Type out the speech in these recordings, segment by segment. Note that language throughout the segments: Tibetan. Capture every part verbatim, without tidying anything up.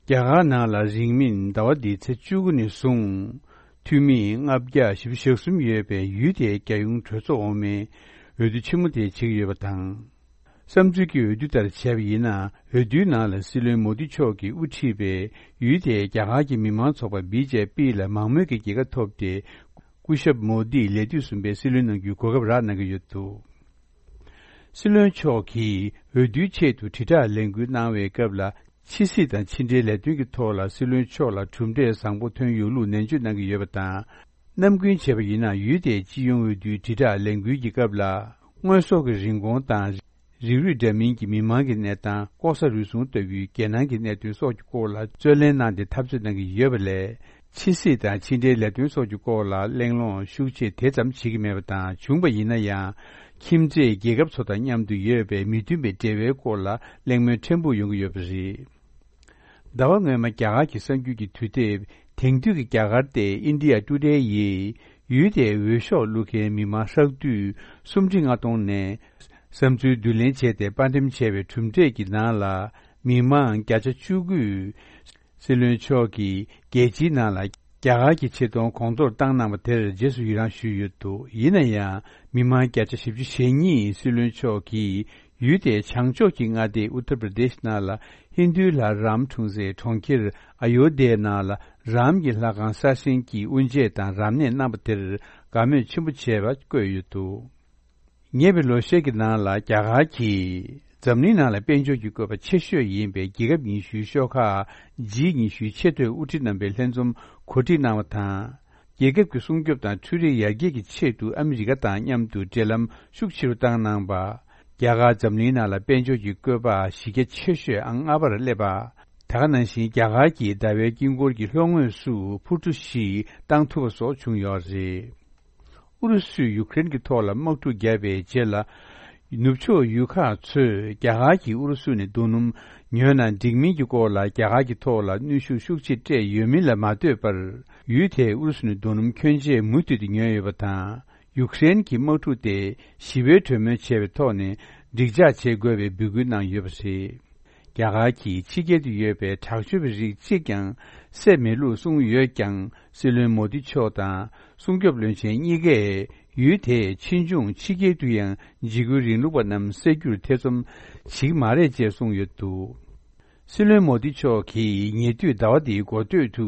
རྒྱ་གར་ནང་ལ་རིང་མིན་ཟླ་བ་འདིའི་ཚེས་བཅུ་དགུ་ནས་བཟུང་། འཐུས་མི་ལྔ་བརྒྱ་བཞི་བཅུ་ཞེ་གསུམ་ཡོད་པའི་ཡུལ་དེའི་རྒྱལ་ཡོངས་གྲོས་ཚོགས་འོག་མའི་འོས་བསྡུ་ཆེན་མོ་དེ་བྱེད་ཀྱི་ཡོད་པ་དང་། བསམ་ཚུལ་གྱི་འོས་བསྡུ་ལྟར་བྱས་པ་ཡིན་ན། འོས་བསྡུའི་ནང་ལ་སྲིད་བློན་མོ་དི་མཆོག་གིས་དབུ་ཁྲིད་པའི་ཡུལ་དེའི་རྒྱ་གར་གྱི་མི་མང་ཚོགས་པ་བི་ཇེ་པི་ལ་མང་མོས་ཀྱི་རྒྱལ་ཁ་ཐོབ་སྟེ། སྐུ་ཞབས་མོ་དིས་ལས་དུས་གསུམ་པའི་སྲིད་བློན་གནང་རྒྱུའི་གོ་སྐབས་རག་གནང་གི་ཡོད་འདུག། སྲིད་བློན་མཆོག་གིས་འོས་བསྡུའི་ཆེད་དུ་དྲིལ་བསྒྲགས་ལས་འགུལ་གནང་བའི་སྐབས་ལ། ཕྱི་སྲིད་དང་ཕྱི་འབྲེལ་ལས་དོན་གྱི་ཐོག་ལ་སྲིད་བློན་མཆོག་ལ་གྲུབ་འབྲས་བཟང་པོ་ཐོན་ཡོད་ལུགས་ནན་བརྗོད་གནང་གི་ཡོད་པ་དང་། ནམ་རྒྱུན་བྱས་པ་ཡིན་ན། ཡུལ་དེའི་སྤྱི་ཡོངས་འོས་བསྡུའི་དྲིལ་བསྒྲགས་ལས་འགུལ་གྱི་སྐབས་ལ། དངོས་ཟོག་གི་རིན་གོང་དང་། རིགས་རུས་འདྲ་མིན་གྱི་མི་མང་གི་གནས་སྟངས། ལྐོག་ཟ་རུལ་སུངས་ལྟ་བུའི་རྒྱལ་ནང་གི་གནད་དོན་སོགས་ཀྱི་སྐོར་ལ་རྩོད་ལེན་གནང་སྟེ་འཐབ་རྩོད་གནང་གི་ཡོད་པ་ལས། ཕྱི་སྲིད་དང་ཕྱི་འབྲེལ་ལས་དོན་སོགས་ཀྱི་སྐོར་ལ་གླེང་སློང་ཤུགས་ཆེ་དེ་ཙམ་བྱེད་ཀྱི་མེད་པ་དང་། བྱུང་བ་ཡིན་ན་ཡང་། ཁྱིམ་མཚེས་རྒྱལ་ཁབ་ཚོ་དང་མཉམ་དུ་ཡོད་པའི་མི་མཐུན་པའི་འབྲེལ་བའི་སྐོར་ལ་གླེང་མོལ་ཕྲན་བུ་ཡོང་གི་ཡོད་པ་རེད། ཟླ་བ་སྔོན་མ་རྒྱ་གར་གྱི་གསར་འགྱུར་གྱི་དུས་དེབ། དེང་དུས་ཀྱི་རྒྱ་གར་ཏེ་India Today ཡིས། ཡུལ་དེའི་འོས་ཤོག་བླུག་མཁན་མི་མང་ཧྲག་བསྡུས་སུམ་ཁྲི་ལྔ་སྟོང་ནས། བསམ་ཚུལ་བསྡུ་ལེན་བྱས་ཏེ་དཔར་འགྲེམས་བྱས་པའི་གྲུབ་འབྲས་ཀྱི་ནང་ལ། མི་མང་བརྒྱ་ཆ་བཅུ་དགུས། སྲིད་བློན་མཆོག་གིས་རྒྱལ་སྤྱིའི་ནང་ལ་རྒྱ་གར་གྱི་ཆེ་མཐོང་གོང་མཐོར་བཏང་གནང་བ་དེར་རྗེས་སུ་ཡི་རངས་ཞུས་ཡོད་འདུག། ཡིན་ན་ཡང་། མི་མང་བརྒྱ་ཆ་བཞི་བཅུ་ཞེ་གཉིས་སྲིད་བློན་མཆོག་གིས། ཡུལ་དེའི་བྱང་ཕྱོགས་ཀྱི་མངའ་སྡེ་ཨུ་ཏར་པྲ་དེཤ་ནང་ལ་ཧིན་རྡུའི་ལྷ་རམ་འཁྲུངས་སའི་གྲོང་ཁྱེར་ཨ་ཡོ་དྷྱའི་ནང་ལ་རམ་གྱི་ལྷ་ཁང་གསར་བཞེངས་ཀྱིས་དབུ་འབྱེད་དང་རབ་གནས་གནང་བ་དེར་དགའ་མོས་ཆེན་པོ་བྱས་པ་བཀོད་ཡོད་འདུག། ཉེ་བའི་ལོ་ཤས་ཀྱི་ནང་ལ་རྒྱ་གར་གྱིས་འཛམ་གླིང་ནང་ལ་དཔལ་འབྱོར་གྱི་བཀོད་པ་ཆེ་ཤོས་ཡིན་པའི་རྒྱལ་ཁབ་ཉི་ཤུའི་ཤོག་ཁག་ཇི་ཉི་ཤུའི་ཆེས་མཐོའི་དབུ་ཁྲིད་རྣམ་པའི་ལྷན་འཛོམས་གོ་སྒྲིག་གནང་བ་དང་། རྒྱལ་ཁབ་ཀྱི་སྲུང་སྐྱོབ་དང་འཕྲུལ་རིག་ཡར་རྒྱས་ཀྱི་ཆེད་དུ་ཨ་མི་རི་ཀ་དང་མཉམ་དུ་འབྲེལ་ལམ་ཤུགས་ཆེ་རུ་བཏང་གནང་པ། རྒྱ་གར་འཛམ་གླིང་ནང་ལ་དཔལ་འབྱོར་གྱི་བཀོད་པ་གཞི་རྒྱ་ཆེ་ཤོས་ཨང་ལྔ་པར་སླེབས་པ། ད་ག་ནང་བཞིན་རྒྱ་གར་གྱིས་ཟླ་བའི་དཀྱིལ་འཁོར་གྱི་ལྷོ་ངོས་སུ་འཕུར་གྲུ་བཞི་བཏང་ཐུབ་པ་སོགས་བྱུང་ཡོད་རེད། ཨུ་རུ་སུས་ཡུཀ་རེན་གྱི་ཐོག་ལ་དམག་འཁྲུག་བརྒྱབ་པའི་རྗེས་ལ། ནུབ་ཕྱོགས་ཡུལ་ཁག་ཚོས་རྒྱ་གར་གྱིས་ཨུ་རུ་སུ་ནས་རྡོ་སྣུམ་ཉོས་ན་འགྲིག་མིན་གྱི་སྐོར་ལ་རྒྱ་གར་གྱི་ཐོག་ལ་གནོན་ཤུགས་ཤུགས་ཆེ་སྤྲད་ཡོད་མིན་ལ་མ་ལྟོས་པར། ཡུལ་དེས་ཨུ་རུ་སུ་ནས་རྡོ་སྣུམ་ཁྱོན་ཆེ་མུ་མཐུད་དུ་ཉོས་ཡོད་པ་དང་། ཡུཀ་རེན་གྱི་དམག་འཁྲུག་དེ་ཞི་བའི་གྲོས་མོལ་བྱས་པའི་ཐོག་ནས་འགྲིག་འཇགས་བྱེད་དགོས་པའི་འབོད་སྐུལ་གནང་ཡོད་པ་རེད། རྒྱ་གར་གྱིས་ཕྱི་རྒྱལ་དུ་ཡོད་པའི་དྲག་སྤྱོད་པའི་རིགས་གཅིག་ཀྱང་བསད་མེད་ལུགས་གསུངས་ཡོད་ཀྱང་། སྲིད་བློན་མོ་དི་མཆོག་དང་སྲུང་སྐྱོབ་བློན་ཆེན་གཉིས་ཀས་ཡུལ་དེའི་ཕྱིས་འབྱུང་ཕྱི་རྒྱལ་དུ་ཡང་འཇིགས་སྐུལ་རིང་ལུགས་པ་རྣམས་བསད་རྒྱུར་ཐེ་ཚོམ་བྱེད་ཀྱི་མ་རེད་ཅེས་གསུངས་ཡོད་འདུག། སྲིད་བློན་མོ་དི་མཆོག་གིས་ཉེ་དུས་ཟླ་བ་འདིའི་འགོ་སྟོད་དུ་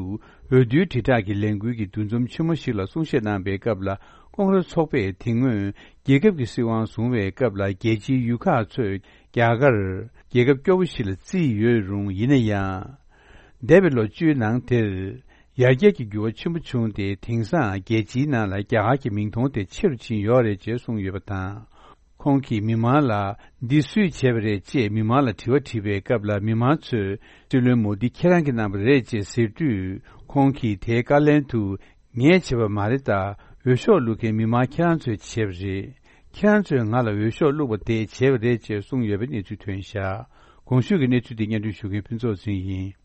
འོས་བསྡུའི་དྲིལ་བསྒྲགས་ཀྱི་ལས་འགུལ་གྱི་འདུ་འཛོམས་ཆེན་མོ་ཞིག་ལ་གསུང་བཤད་གནང་པའི་སྐབས་ལ། ཀོང་རེ་ཚོགས་པས་དེ་སྔོན་རྒྱལ་ཁབ་ཀྱི་སྲིད་དབང་བཟུང་བའི་སྐབས་ལ་རྒྱལ་སྤྱིའི་ཡུལ་ཁག་ཚོས་རྒྱ་གར་རྒྱལ་ཁབ་སྐྱོ་བོ་ཞིག་ལ་བརྩིས་ཡོད་རུང་། ཡིན་ན་ཡང་། འདས་པའི་ལོ་བཅུའི་ནང་དེར་ཡར་རྒྱས་ཀྱི་འགྱུར་བ་ཆེན་པོ་བྱུང་སྟེ། དེང་སང་རྒྱལ་སྤྱིའི་ནང་ལ་རྒྱ་གར་གྱི་མིང་མཐོང་དེ་ཆེ་རུ་ཕྱིན་ཡོད་རེད་ཅེས་གསུངས་ཡོད་པ་དང་། ཁོང་གིས་མི་མང་ལ་འདི་སུས་བྱས་པ་རེད་ཅེས་མི་མང་ལ་དྲི་བ་དྲིས་པའི་སྐབས་ལ། མི་མང་ཚོས་སྲིད་བློན་མོ་དི་ཁྱེད་རང་གིས་གནང་བ་རེད་ཅེས་ཟེར་དུས། ཁོང་གིས་དེའི་བཀའ་ལན་དུ། ངས་བྱས་པ་མ་རེད། ད་འོས་ཤོག་བླུག་མཁན་མི་མང་ཁྱེད་རང་ཚོས་བྱས་པ་རེད། ཁྱེད་རང་ཚོས་ང་ལ་འོས་ཤོག་བླུགས་པ་དེས་བྱས་པ་རེད་ཅེས་གསུངས་ཡོད་པའི་གནས་ཚུལ་ཐོན་བཞག། གོང་ཞུས་ཀྱི་གནས་ཚུལ་དེ་སྙན་སྒྲོན་ཞུ་མཁན་ཕུན་ཚོགས་ཟིན་ཡིན།